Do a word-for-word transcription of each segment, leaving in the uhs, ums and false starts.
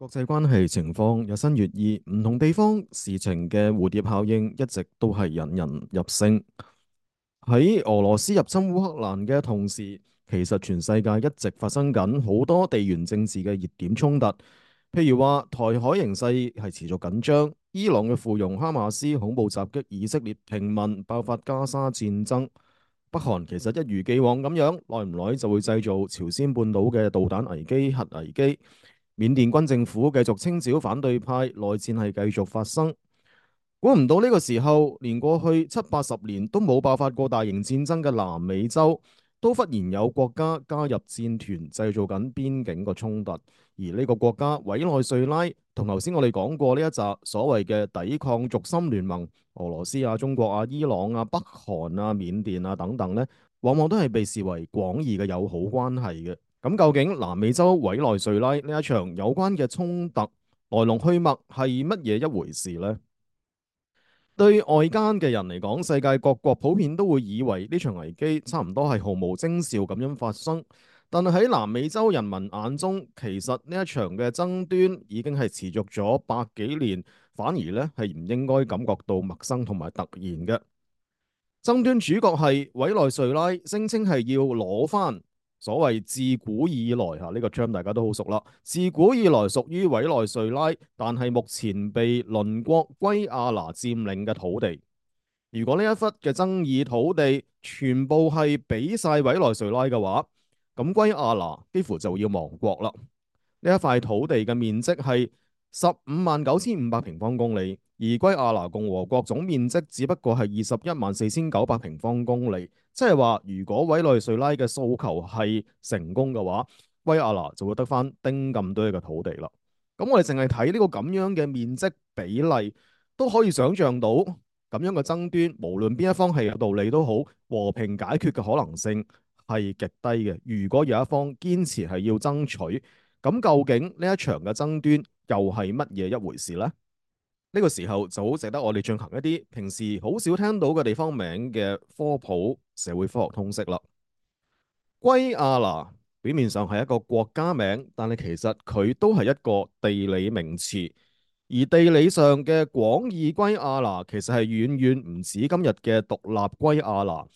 國際關係情況日新月異，唔同地方事情嘅蝴蝶效應一直都係引人入勝。喺俄羅斯入侵烏克蘭嘅同時，其實全世界一直發生緊好多地緣政治嘅熱點衝突。譬如話台海形勢係持續緊張，伊朗嘅附庸哈馬斯恐怖襲擊以色列平民，爆發加沙戰爭。北韓其實一如既往咁樣，耐唔耐就會製造朝鮮半島嘅導彈危機、核危機。緬甸軍政府繼續清剿反對派，內戰係繼續發生。估唔到呢個時候，連過去七八十年都冇爆發過大型戰爭嘅南美洲，都忽然有國家加入戰團，製造緊邊境個衝突。而呢個國家委內瑞拉，同頭先我哋講過呢一集所謂嘅抵抗軸心聯盟，俄羅斯啊、中國啊、伊朗啊、北韓啊、緬甸啊等等呢，往往都係被視為廣義嘅友好關係嘅。咁究竟南美洲委內瑞拉呢一場有關嘅衝突來龍去脈係乜嘢一回事呢？對外間嘅人嚟講，世界各國普遍都會以為呢場危機差唔多係毫無徵兆咁樣發生，但係喺南美洲人民眼中，其實呢一場嘅爭端已經係持續咗百幾年，反而呢係唔應該感覺到陌生同埋突然嘅。爭端主角係委內瑞拉，聲稱係要攞翻所謂自古以來嚇，呢個 term 大家都好熟啦。自古以來屬於委內瑞拉，但係目前被鄰國圭亞那佔領嘅土地。如果呢一忽嘅爭議土地全部係俾晒委內瑞拉嘅話，咁圭亞那幾乎就要亡國啦。呢一塊土地嘅面積係十五萬九千五百平方公里，而圭亞那共和國總面積只不過係二十一萬四千九百平方公里。即係話，如果委內瑞拉嘅訴求係成功嘅話，圭亞那就會得翻丁咁多嘅土地啦。咁我哋淨係睇呢個咁樣嘅面積比例，都可以想象到咁樣嘅爭端，無論邊一方係有道理都好，和平解決嘅可能性係極低嘅。如果有一方堅持係要爭取，咁究竟呢一場嘅爭端又係乜嘢一回事呢？呢個時候就好值得我哋進行一啲平時好少聽到嘅地方名嘅科普社會科學通識啦。圭亞那表面上係一個國家名，但係其實佢都係一個地理名詞。而地理上嘅廣義圭亞那其實係遠遠唔止今日嘅獨立圭亞那。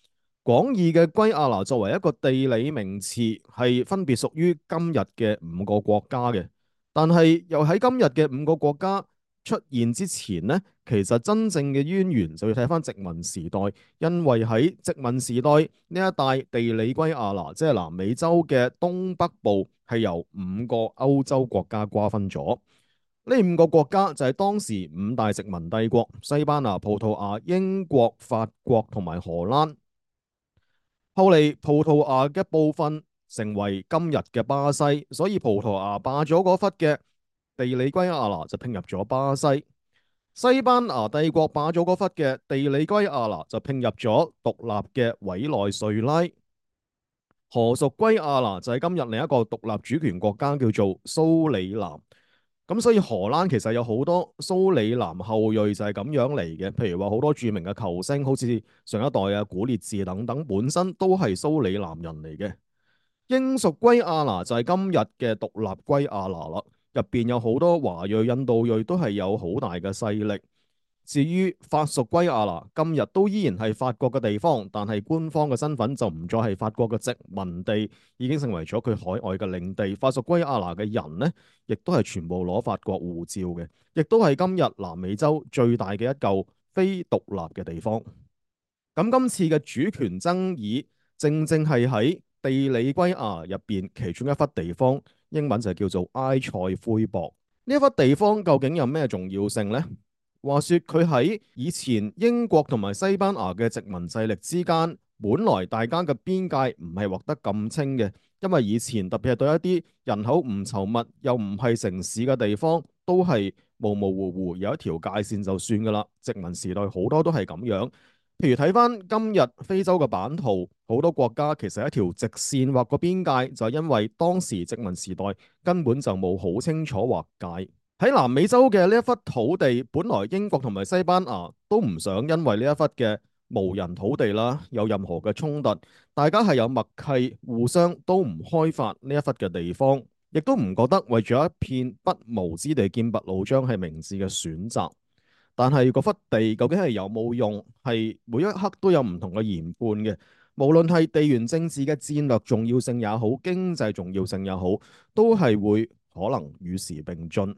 廣義嘅圭亞那作為一個地理名詞，係分別屬於今日嘅五個國家嘅。但係又喺今日嘅五個國家出現之前呢，其實真正嘅淵源就要睇翻殖民時代，因為喺殖民時代呢一帶地理圭亞那，即係南美洲嘅東北部，係由五個歐洲國家瓜分咗。呢五個國家就係當時五大殖民帝國：西班牙、葡萄牙、英國、法國同埋荷蘭。後嚟葡萄牙嘅部分成為今日嘅巴西，所以葡萄牙霸咗嗰忽嘅地理圭亞那就拼入咗巴西。西班牙帝國霸咗嗰忽嘅地理圭亞那就拼入咗獨立嘅委內瑞拉。荷屬圭亞那就係今日另一個獨立主權國家，叫做蘇里南。咁所以荷蘭其實有好多蘇里南後裔就係咁樣嚟嘅，譬如話好多著名嘅球星，好似上一代啊古列治等等，本身都係蘇里南人嚟嘅。英屬圭亞那就係今日嘅獨立圭亞那啦，入邊有好多華裔、印度裔都係有好大嘅勢力。至於法屬圭亞那，今日都依然係法國嘅地方，但係官方嘅身份就唔再係法國嘅殖民地，已經成為咗佢海外嘅領地。法屬圭亞那嘅人呢，亦都係全部攞法國護照嘅，亦都係今日南美洲最大嘅一嚿非獨立嘅地方。咁今次嘅主權爭議，正正係喺地理圭亞那入邊其中一忽地方，英文就叫做埃塞灰博。呢一忽地方究竟有咩重要性呢？話說佢喺以前英國同埋西班牙嘅殖民勢力之間，本來大家嘅邊界唔係劃得咁清嘅，因為以前特別係對一啲人口唔稠密又唔係城市嘅地方，都係模模糊糊有一條界線就算噶啦。殖民時代好多都係咁樣，譬如睇翻今日非洲嘅版圖，好多國家其實一條直線劃個邊界，就係因為當時殖民時代根本就冇好清楚劃界。喺南美洲嘅呢一忽土地，本來英國同埋西班牙都唔想因為呢一忽嘅無人土地啦，有任何嘅衝突，大家係有默契，互相都唔開發呢一忽嘅地方。亦都唔覺得為咗一片不毛之地劍拔弩張係明智嘅選擇。但係嗰忽地究竟係有冇用，係每一刻都有唔同嘅研判嘅。無論係地緣政治嘅戰略重要性也好，經濟重要性也好，都係會可能與時並進。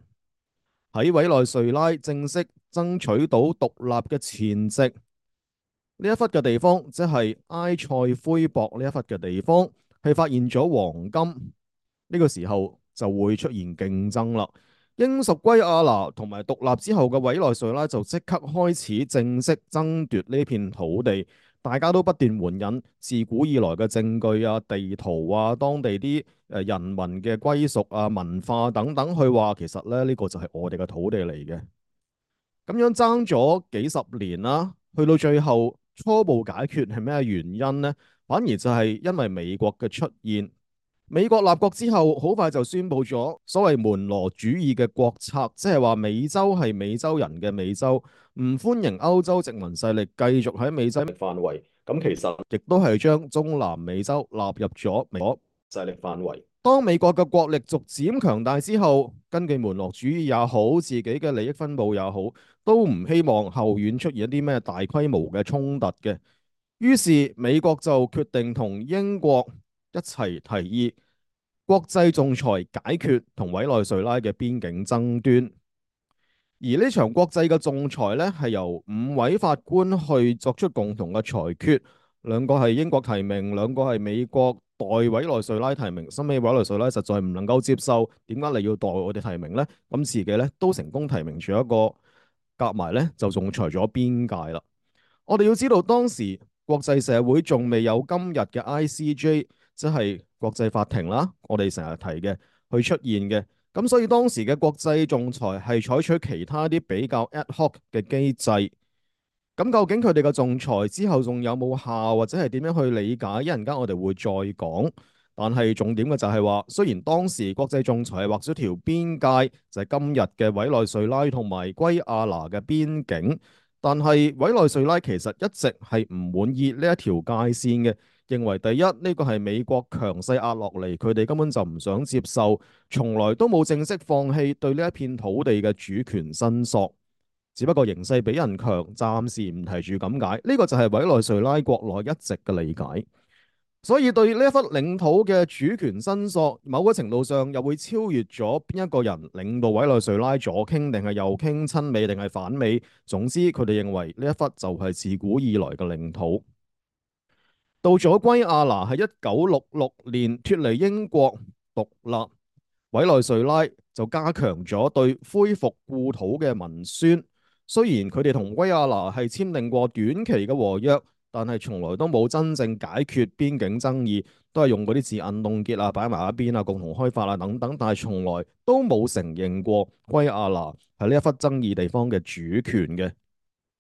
喺委內瑞拉正式爭取到獨立嘅前夕，呢一忽嘅地方，即係埃塞灰博呢一忽嘅地方，係發現咗黃金。呢個時候就會出現競爭啦。英屬圭亞那同埋獨立之後嘅委內瑞拉就即刻開始正式爭奪呢片土地，大家都不斷援引自古以來嘅證據啊、地圖啊、當地啲誒人民嘅歸屬啊、文化等等，去話其實咧呢個就係我哋嘅土地嚟嘅。咁樣爭咗幾十年啦，去到最後初步解決係咩原因呢？反而就係因為美國嘅出現。美國立國之後，好快就宣布咗所謂門羅主義嘅國策，即係話美洲係美洲人嘅美洲，唔歡迎歐洲殖民勢力繼續喺美洲範圍。咁其實亦都係將中南美洲納入咗美國勢力範圍。當美國嘅國力逐漸強大之後，根據門羅主義也好，自己嘅利益分佈也好，都唔希望後院出現一啲咩大規模嘅衝突嘅。於是美國就決定同英國一齊提議國際仲裁解決同委內瑞拉嘅邊境爭端。而呢場國際嘅仲裁呢，係由五位法官去作出共同嘅裁決，兩個係英國提名，兩個係美國代委內瑞拉提名。新尾委內瑞拉實在唔能夠接受，點解你要代我哋提名呢？咁自己呢都成功提名住一個，夾埋呢就仲裁咗邊界啦。我哋要知道當時國際社會仲未有今日嘅 I C J， 即係國際法庭啦，我哋成日提嘅去出現嘅。咁所以當時嘅國際仲裁係採取其他啲比較 ad hoc 嘅機制。咁究竟佢哋嘅仲裁之後仲有冇效，或者係點樣去理解？一陣間我哋會再講。但係重點嘅就係話，雖然當時國際仲裁係畫咗條邊界，就係今日嘅委內瑞拉同埋圭亞那嘅邊境。但係委內瑞拉其實一直係唔滿意呢一條界線嘅，認為第一呢個係美國強勢壓落嚟，佢哋根本就唔想接受，從來都冇正式放棄對呢一片土地嘅主權申索，只不過形勢比人強，暫時唔提住咁解。呢個就係委內瑞拉國內一直嘅理解。所以對呢一忽領土嘅主權申索，某個程度上又會超越咗邊一個人領導委內瑞拉左傾定係右傾，親美定係反美。總之佢哋認為呢一忽就係自古以來嘅領土。到咗圭亞那喺一九六六年脫離英國獨立，委內瑞拉就加強咗對恢復故土嘅文宣。雖然佢哋同圭亞那係簽訂過短期嘅和約，但係從來都冇真正解決邊境爭議，都係用嗰啲字眼凍結啊、擺埋一邊啊、共同開發啊等等，但係從來都冇承認過圭亞那係呢一忽爭議地方嘅主權嘅。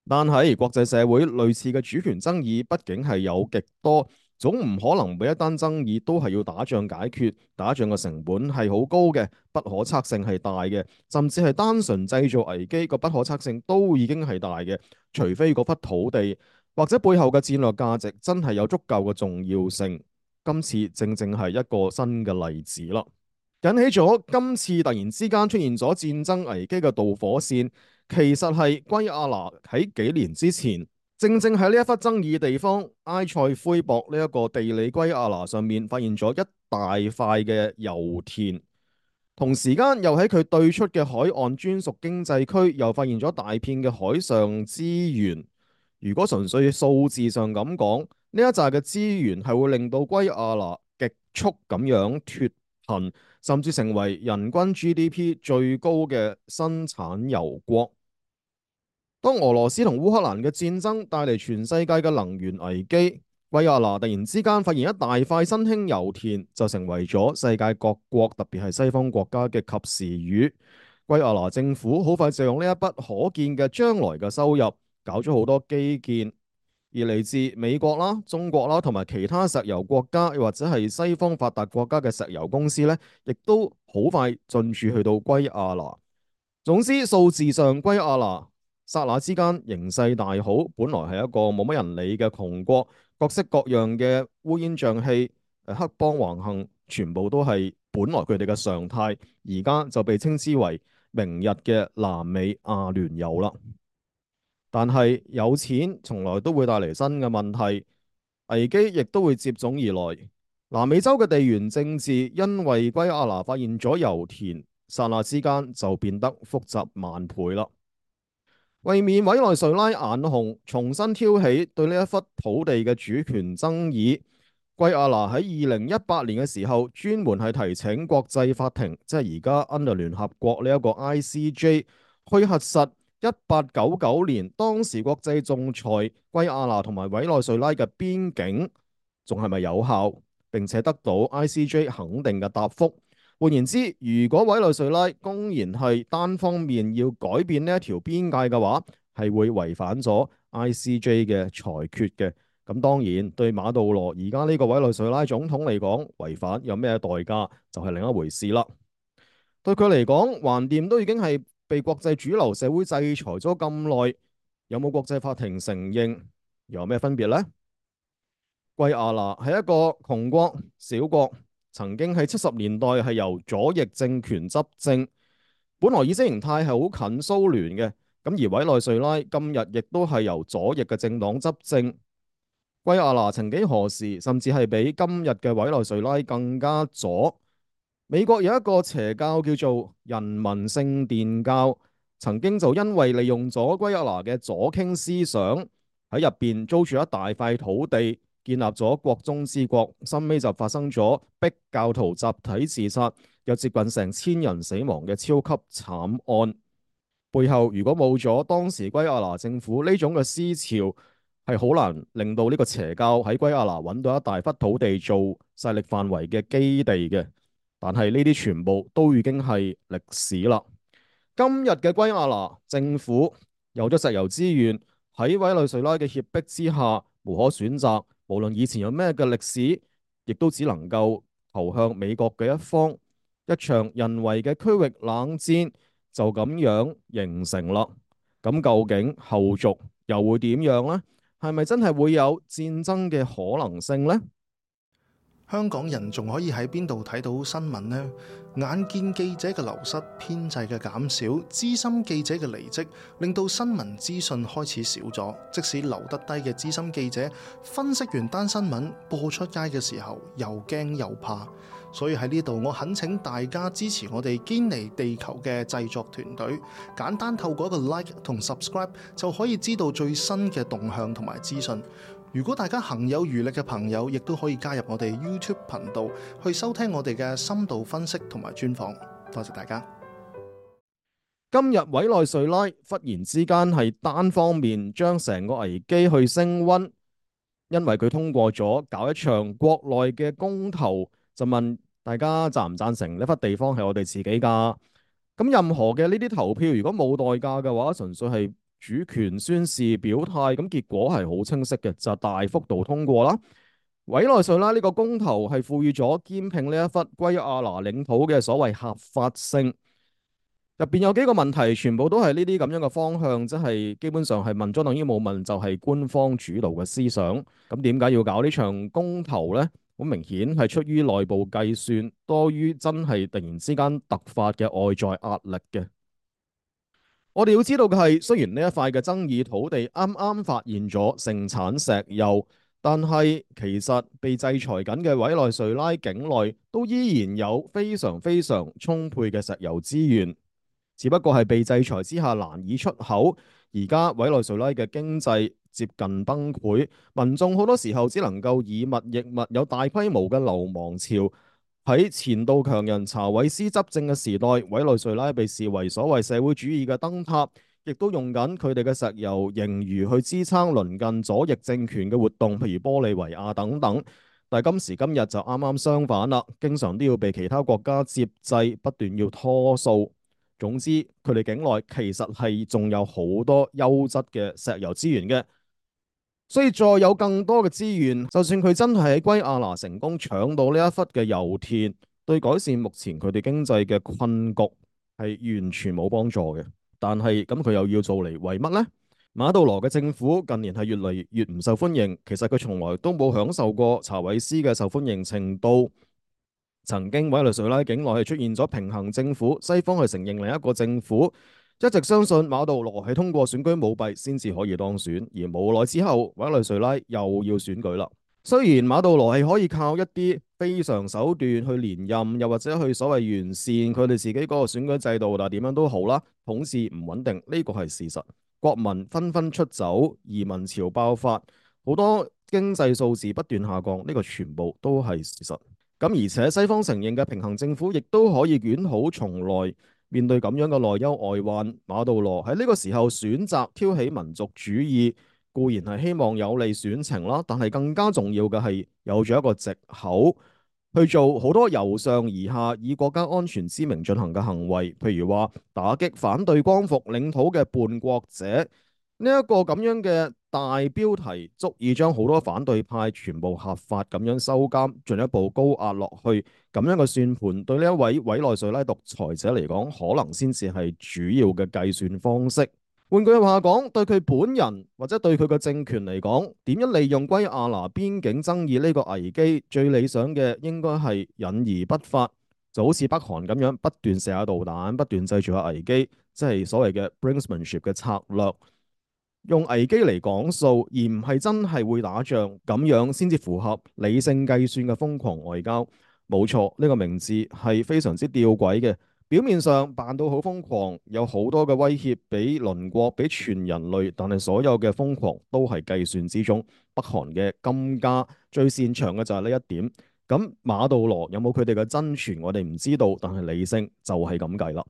但係國際社會類似嘅主權爭議，畢竟係有極多，總唔可能每一單爭議都係要打仗解決，打仗嘅成本係好高嘅，不可測性係大嘅，甚至係單純製造危機個不可測性都已經係大嘅，除非嗰忽土地或者背後嘅戰略價值真係有足夠嘅重要性。今次正正係一個新嘅例子啦，引起咗今次突然之間出現咗戰爭危機嘅導火線，其實係圭亞那喺幾年之前，正正喺呢一忽爭議地方埃塞灰博呢一個地理圭亞那上面發現咗一大塊嘅油田，同時間又喺佢對出嘅海岸專屬經濟區又發現咗大片嘅海上資源。如果純粹數字上咁講，呢一紮嘅資源係會令到圭亞那極速咁樣脫貧，甚至成為人均 G D P 最高嘅生產油國。當俄羅斯同烏克蘭嘅戰爭帶嚟全世界嘅能源危機，圭亞那突然之間發現一大塊新興油田，就成為咗世界各國，特別係西方國家嘅及時雨。圭亞那政府好快就用呢一筆可見嘅將來嘅收入，搞咗好多基建，而嚟自美國啦、中國啦同埋其他石油國家，又或者係西方發達國家嘅石油公司呢，亦都好快進駐去到圭亞那。總之數字上，圭亞那剎那之間形勢大好，本來係一個冇乜人理嘅窮國，各式各樣嘅烏煙瘴氣、誒黑幫橫行，全部都係本來佢哋嘅常態，而家就被稱之為明日嘅南美阿聯酋啦。但係有錢從來都會帶嚟新嘅問題，危機亦都會接踵而來。南美洲嘅地緣政治因為圭亞那發現咗油田，剎那之間就變得複雜萬倍啦。為免委內瑞拉眼紅，重新挑起對呢一忽土地嘅主權爭議，圭亞那喺二零一八年嘅時候，專門係提請國際法庭，即係而家 under 聯合國呢一個 I C J 去核實一八九九年當時國際仲裁圭亞那同埋委內瑞拉嘅邊境仲係咪有效，並且得到 I C J 肯定嘅答覆。換言之，如果委內瑞拉公然係單方面要改變呢一條邊界嘅話，係會違反咗 I C J 嘅裁決嘅。咁當然對馬杜羅而家呢個委內瑞拉總統嚟講，違反有咩代價就係另一回事啦。對佢嚟講，橫掂都已經係被國際主流社會制裁咗咁耐，有冇國際法庭承認又有咩分別呢？圭亞那係一個窮國小國。曾經喺七十年代係由左翼政權執政，本來意識形態係好近蘇聯嘅，咁而委內瑞拉今日亦都係由左翼嘅政黨執政。圭亞那曾幾何時甚至係比今日嘅委內瑞拉更加左。美國有一個邪教叫做人民聖殿教，曾經就因為利用咗圭亞那嘅左傾思想，喺入邊租住一大塊土地，建立咗國中之國，深尾就發生咗逼教徒集體自殺，有接近成千人死亡嘅超級慘案。背後如果冇咗當時圭亞那政府呢種嘅思潮，係好難令到呢個邪教喺圭亞那揾到一大忽土地做勢力範圍嘅基地嘅。但係呢啲全部都已經係歷史啦。今日嘅圭亞那政府有咗石油資源，喺委內瑞拉嘅脅迫之下，無可選擇。無論以前有咩嘅歷史，亦都只能夠投向美國嘅一方。一場人為嘅區域冷戰就咁樣形成啦。咁究竟後續又會點樣呢？係咪真係會有戰爭嘅可能性呢？香港人仲可以喺邊度睇到新聞呢？眼見記者嘅流失、編制嘅減少、資深記者嘅離職，令到新聞資訊開始少咗。即使留得低嘅資深記者，分析完單新聞播出街嘅時候，又驚又怕。所以喺呢度，我懇請大家支持我哋堅尼地球嘅製作團隊，簡單透過一個 like 同 subscribe 就可以知道最新嘅動向同埋資訊。如果大家行有餘力嘅朋友，亦都可以加入我哋 YouTube 頻道去收聽我哋嘅深度分析同埋專訪。多謝大家。今日委內瑞拉忽然之間係單方面將成個危機去升溫，因為佢通過咗搞一場國內嘅公投，就問大家贊唔贊成呢忽地方係我哋自己㗎？咁任何嘅呢啲投票，如果冇代價嘅話，純粹係主權宣示表態，咁結果係好清晰嘅，就大幅度通過啦。委內瑞拉呢個公投係賦予咗兼併呢一忽圭亞那領土嘅所謂合法性。入邊有幾個問題，全部都係呢啲咁樣嘅方向，即係基本上係問咗等於冇問，就係官方主導嘅思想。咁點解要搞呢場公投呢？好明顯係出於內部計算，多於真係突然之間突發嘅外在壓力嘅。我哋要知道嘅係，雖然呢一塊嘅爭議土地啱啱發現咗盛產石油，但係其實被制裁緊嘅委內瑞拉境內都依然有非常非常充沛嘅石油資源。只不過係被制裁之下難以出口，而家委內瑞拉嘅經濟接近崩潰，民眾好多時候只能夠以物易物，有大規模嘅流亡潮。喺前度強人查韋斯執政嘅時代，委內瑞拉被視為所謂社會主義嘅燈塔，亦都用緊佢哋嘅石油盈餘去支撐鄰近左翼政權嘅活動，譬如玻利維亞等等。但係今時今日就啱啱相反啦，經常都要被其他國家接濟，不斷要拖數。總之，佢哋境內其實係仲有好多優質嘅石油資源嘅，所以再有更多嘅資源，就算佢真係喺圭亞那成功搶到呢一忽嘅油田，對改善目前佢哋經濟嘅困局係完全冇幫助嘅。但係咁佢又要做嚟為乜呢？馬杜羅嘅政府近年係越嚟越唔受歡迎，其實佢從來都冇享受過查韋斯嘅受歡迎程度。曾經委內瑞拉境內係出現咗平衡政府，西方係承認另一個政府，一直相信馬杜羅係通過選舉舞弊先至可以當選，而無奈之後委內瑞拉又要選舉啦。雖然馬杜羅係可以靠一啲非常手段去連任，又或者去所謂完善佢哋自己嗰個選舉制度，但係點樣都好啦，統治唔穩定呢個係事實。國民紛紛出走，移民潮爆發，好多經濟數字不斷下降，呢個全部都係事實。咁而且西方承認嘅平衡政府亦都可以捲土重來。面對咁樣嘅內憂外患，馬杜羅喺呢個時候選擇挑起民族主義，固然係希望有利選情啦，但係更加重要嘅係有咗一個藉口去做好多由上而下以國家安全之名進行嘅行為，譬如話打擊反對光復領土嘅叛國者。呢一個咁樣嘅大標題，足以將好多反對派全部合法咁樣收監，進一步高壓落去。咁樣嘅算盤，對呢一位委內瑞拉獨裁者嚟講，可能先至係主要嘅計算方式。換句話講，對佢本人或者對佢嘅政權嚟講，點樣利用圭亞那邊境爭議呢個危機，最理想嘅應該係隱而不發，就好似北韓咁樣不斷射下導彈，不斷製造下危機，即係所謂嘅 brinksmanship 嘅策略。用危機嚟講數，而唔係真係會打仗，咁樣先至符合理性計算嘅瘋狂外交。冇錯，呢個名字係非常之吊詭嘅。表面上扮到好瘋狂，有好多嘅威脅俾鄰國、俾全人類，但係所有嘅瘋狂都係計算之中。北韓嘅金家最擅長嘅就係呢一點。咁馬杜羅有冇佢哋嘅真傳，我哋唔知道，但係理性就係咁計啦。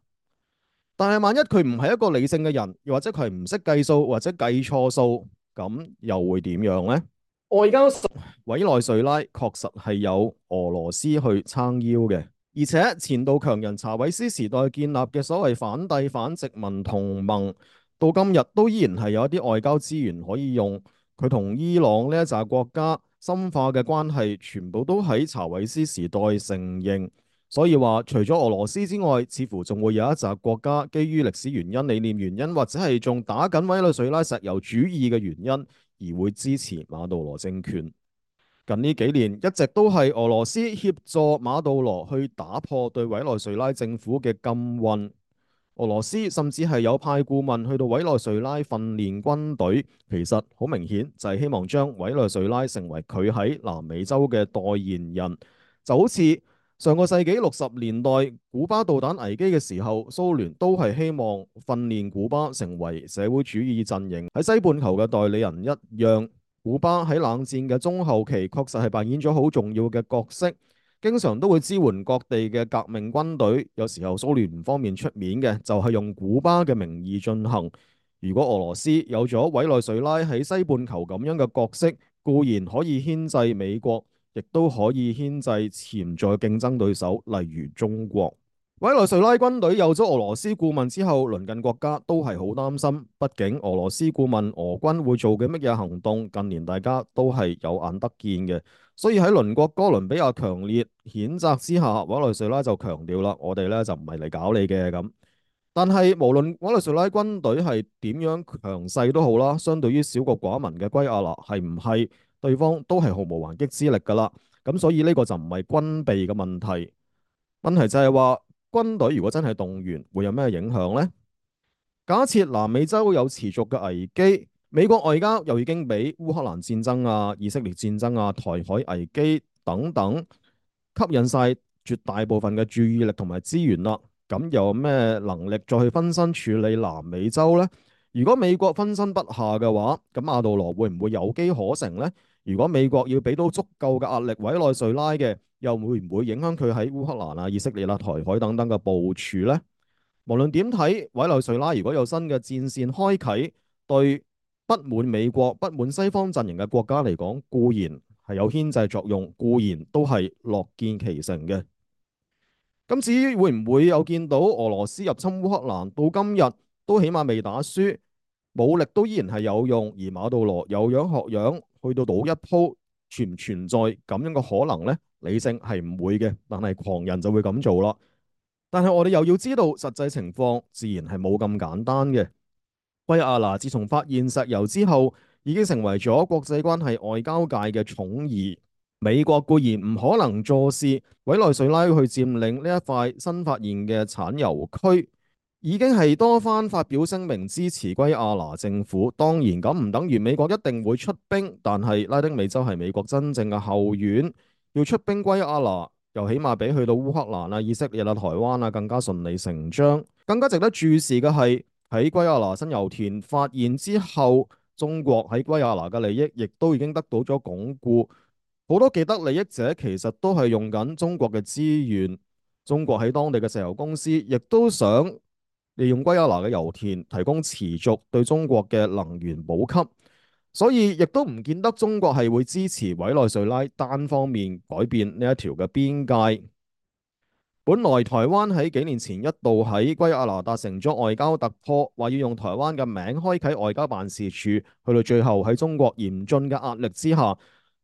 但係萬一佢唔係一個理性嘅人，又或者佢係唔識計數或者計錯數，咁又會點樣呢？外交上，委內瑞拉確實係有俄羅斯去撐腰嘅，而且前度強人查韋斯時代建立嘅所謂反帝反殖民同盟，到今日都依然係有一啲外交資源可以用。佢同伊朗呢一紮國家深化嘅關係，全部都喺查韋斯時代承認。所以話，除咗俄羅斯之外，似乎仲會有一紮國家基於歷史原因、理念原因，或者係仲打緊委內瑞拉石油主義嘅原因，而會支持馬杜羅政權。近呢幾年一直都係俄羅斯協助馬杜羅去打破對委內瑞拉政府嘅禁運。俄羅斯甚至係有派顧問去到委內瑞拉訓練軍隊，其實好明顯就係希望將委內瑞拉成為佢喺南美洲嘅代言人，就好似上個世紀六十年代古巴導彈危機嘅時候，蘇聯都係希望訓練古巴成為社會主義陣營喺西半球嘅代理人一樣。古巴喺冷戰嘅中後期確實係扮演咗好重要嘅角色，經常都會支援各地嘅革命軍隊。有時候蘇聯唔方便出面嘅，就係用古巴嘅名義進行。如果俄羅斯有咗委內瑞拉喺西半球咁樣嘅角色，固然可以牽制美國，亦都可以牽制潛在競爭對手，例如中國。委內瑞拉軍隊有咗俄羅斯顧問之後，鄰近國家都係好擔心。畢竟俄羅斯顧問俄軍會做嘅乜嘢行動，近年大家都係有眼得見嘅。所以喺鄰國哥倫比亞強烈譴責之下，委內瑞拉就強調啦，我哋咧就唔係嚟搞你嘅咁。但係無論委內瑞拉軍隊係點樣強勢都好啦，相對於小國寡民嘅圭亞那，係唔係對方都係毫無還擊之力噶啦？咁所以呢個就唔係軍備嘅問題，問題就係話軍隊如果真係動員，會有咩影響呢？假設南美洲有持續嘅危機，美國外交又已經俾烏克蘭戰爭啊、以色列戰爭啊、台海危機等等吸引晒絕大部分嘅注意力同埋資源啦。咁又有咩能力再去分身處理南美洲呢？如果美國分身不下嘅話，咁馬杜羅會唔會有機可乘呢？如果美國要俾到足夠嘅壓力委內瑞拉嘅，又會唔會影響佢喺烏克蘭啊、以色列啊、台海等等嘅部署呢？無論點睇，委內瑞拉如果有新嘅戰線開啟，對不滿美國、不滿西方陣營嘅國家嚟講，固然係有牽制作用，固然都係樂見其成嘅。咁至於會唔會有見到俄羅斯入侵烏克蘭，到今日都起碼未打輸，武力都依然係有用，而馬杜羅有樣學樣，去到賭一鋪，存唔存在咁樣嘅可能呢？理性係唔會嘅，但係狂人就會咁做啦。但係我哋又要知道實際情況，自然係冇咁簡單嘅。圭亞那自從發現石油之後，已經成為咗國際關係外交界嘅寵兒。美國固然唔可能坐視委內瑞拉去佔領呢一塊新發現嘅產油區，已經係多番發表聲明支持圭亞那政府。當然咁唔等於美國一定會出兵，但係拉丁美洲係美國真正嘅後院，要出兵圭亞那，又起碼比去到烏克蘭啊、以色列啊、台灣啊更加順理成章。更加值得注視嘅係喺圭亞那新油田發現之後，中國喺圭亞那嘅利益亦都已經得到咗鞏固。好多既得利益者其實都係用緊中國嘅資源，中國喺當地嘅石油公司亦都想利用圭亞那嘅油田提供持續對中國嘅能源補給，所以亦都唔見得中國係會支持委內瑞拉單方面改變呢一條嘅邊界。本來台灣喺幾年前一度喺圭亞那達成咗外交突破，話要用台灣嘅名開啟外交辦事處，去到最後喺中國嚴峻嘅壓力之下，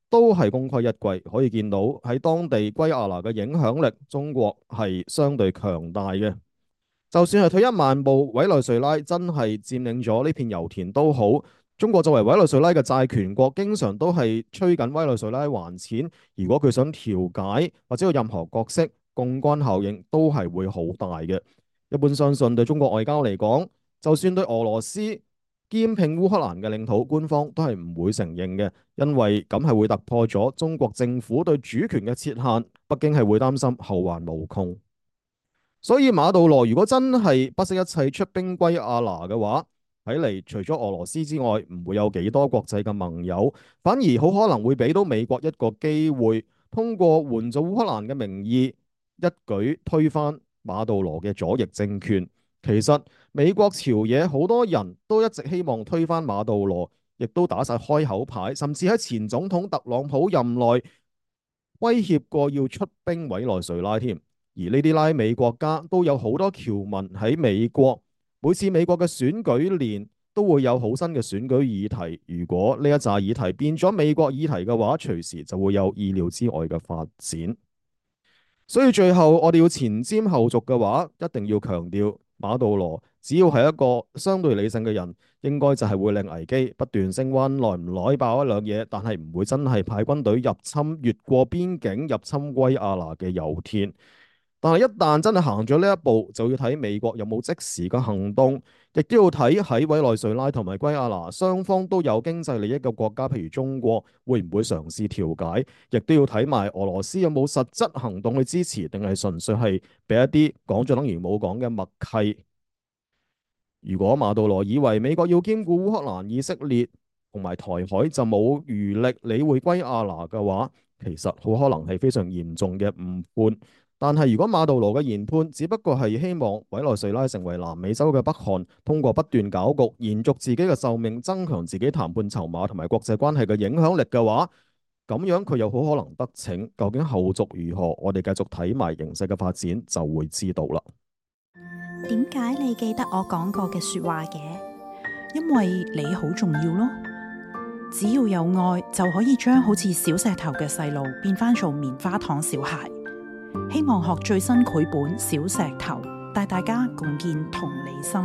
都係功虧一簣。可以見到喺當地圭亞那嘅影響力，中國係相對強大嘅。就算係退一萬步，委內瑞拉真係佔領咗呢片油田都好，中國作為委內瑞拉嘅債權國，經常都係催緊委內瑞拉還錢。如果佢想調解或者有任何角色，槓桿效應都係會好大嘅。一般相信對中國外交嚟講，就算對俄羅斯兼併烏克蘭嘅領土，官方都係唔會承認嘅，因為咁係會突破咗中國政府對主權嘅設限，北京係會擔心後患無窮。所以馬杜羅如果真係不惜一切出兵圭亞那嘅話，睇嚟除咗俄羅斯之外，唔會有幾多國際嘅盟友，反而好可能會俾到美國一個機會，通過援助烏克蘭嘅名義，一舉推翻馬杜羅嘅左翼政權。其實美國朝野好多人都一直希望推翻馬杜羅，亦都打晒開口牌，甚至喺前總統特朗普任內威脅過要出兵委內瑞拉添。而呢啲拉美國家都有好多僑民喺美國，每次美國嘅選舉年都會有好新嘅選舉議題。如果呢一紮議題變咗美國議題嘅話，隨時就會有意料之外嘅發展。所以最後我哋要前瞻後續嘅話，一定要強調馬杜羅只要係一個相對理性嘅人，應該就係會令危機不斷升溫，耐唔耐爆一兩嘢，但係唔會真係派軍隊入侵越過邊境入侵圭亞那嘅油田。但係一旦真係行咗呢一步，就要睇美國有冇即時嘅行動，亦都要睇喺委內瑞拉同埋圭亞那雙方都有經濟利益嘅國家，譬如中國會唔會嘗試調解，亦都要睇埋俄羅斯有冇實質行動去支持，定係純粹係俾一啲講咗等於冇講嘅默契。如果馬杜羅以為美國要兼顧烏克蘭、以色列同埋台海就冇餘力理會圭亞那嘅話，其實好可能係非常嚴重嘅誤判。但係如果馬杜羅嘅研判只不過係希望委內瑞拉成為南美洲嘅北韓，通過不斷搞局延續自己嘅壽命，增強自己談判籌碼同埋國際關係嘅影響力嘅話，咁樣佢又好可能得逞。究竟後續如何，我哋繼續睇埋形勢嘅發展就會知道啦。點解你記得我講過嘅說話嘅？因為你好重要咯。只要有愛，就可以將好似小石頭嘅細路變翻做棉花糖小孩。希望學最新繪本《小石頭》，帶大家共建同理心。